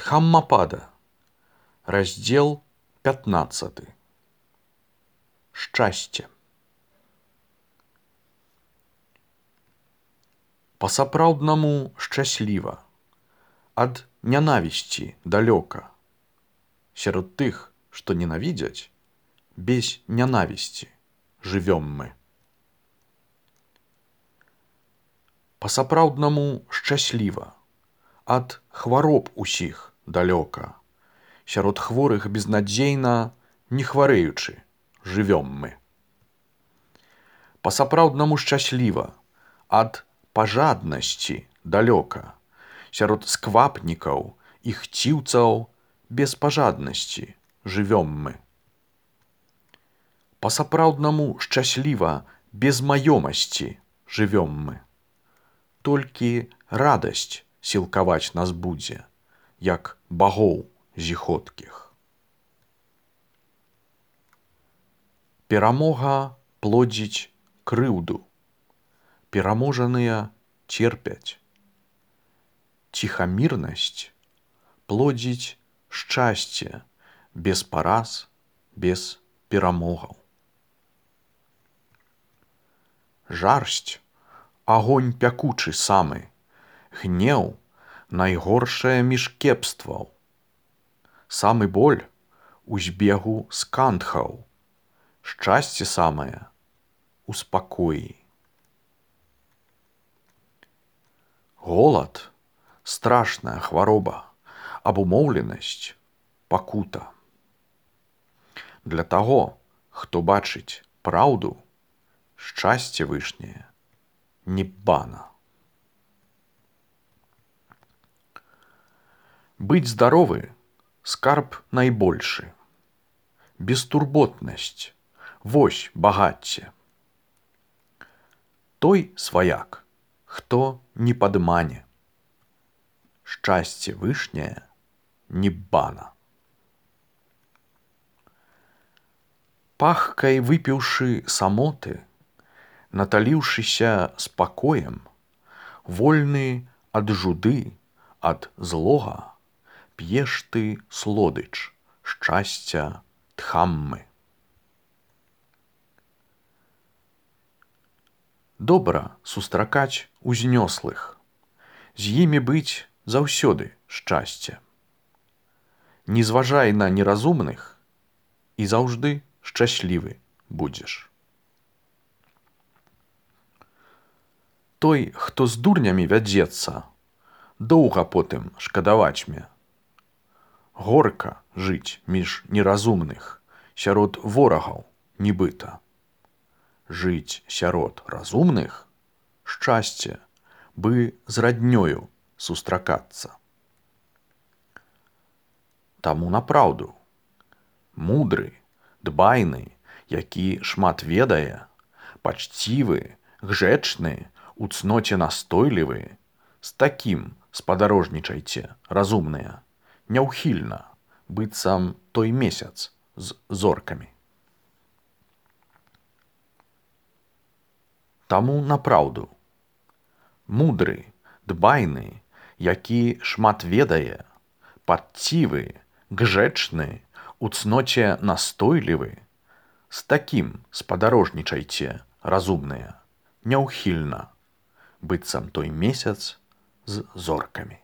Дхаммапада, раздел 15. Шчасце. Па-сапраўднаму шчасліва, ад нянавісці далёка. Сярод тых, што ненавідзяць, без нянавісці жывём мы. Па-сапраўднаму шчасліва, ад хвароб усіх далёка. Сярод хворых безнадзейна, не хварэючы, жывём мы. Па-сапраўднаму шчасліва, ад пажаднасці далёка. Сярод сквапнікаў і хціўцаў без пажаднасці жывём мы. Па-сапраўднаму шчасліва, без маёмасці жывём мы. Толькі радасць сілкаваць нас будзе, як багоў зіходкіх. Перамога плодзіць крыўду, пераможаныя церпяць. Ціхамірнасць плодзіць шчасце, без параз, без перамогаў. Жарсць — агонь пякучы самы, гнеў — найгоршае між кепстваў. Самы боль у збегу скандхаў, шчасце самае у спакоі. Голад — страшная хвароба, абумоўленасць — пакута. Для таго, хто бачыць праўду, шчасце вышняе ніббана. Быць здаровы — скарб найбольшы. Бестурботнасць — вось багацце. Той сваяк, хто не падмане. Шчасце вышняе ніббана. Пахкай выпіўшы самоты, наталіўшыся спакоем, вольны ад жуды, ад злога, п'еш ты слодыч шчасця Дхаммы. Добра сустракаць узнёслых, з імі быць заўсёды шчасце. Не зважай на неразумных і заўжды шчаслівы будзеш. Той, хто з дурнямі вядзецца, доўга потым шкадаваць мне. Горка жыць між неразумных, сярод ворагаў нібыта. Жыць сярод разумных — шчасце, бы з раднёю сустракацца. Таму напраўду. Мудры, дбайны, які шмат ведае, пачцівы, гжэчны, у цноце настойлівы, з такім спадарожнічайце, разумныя, няўхільна, быццам той месяц з зоркамі. Таму напраўду. Мудры, дбайны, які шмат ведае, пачцівы, гжэчны, у цноце настойлівы, з такім спадарожнічайце, разумныя, няўхільна, быццам той месяц з зоркамі.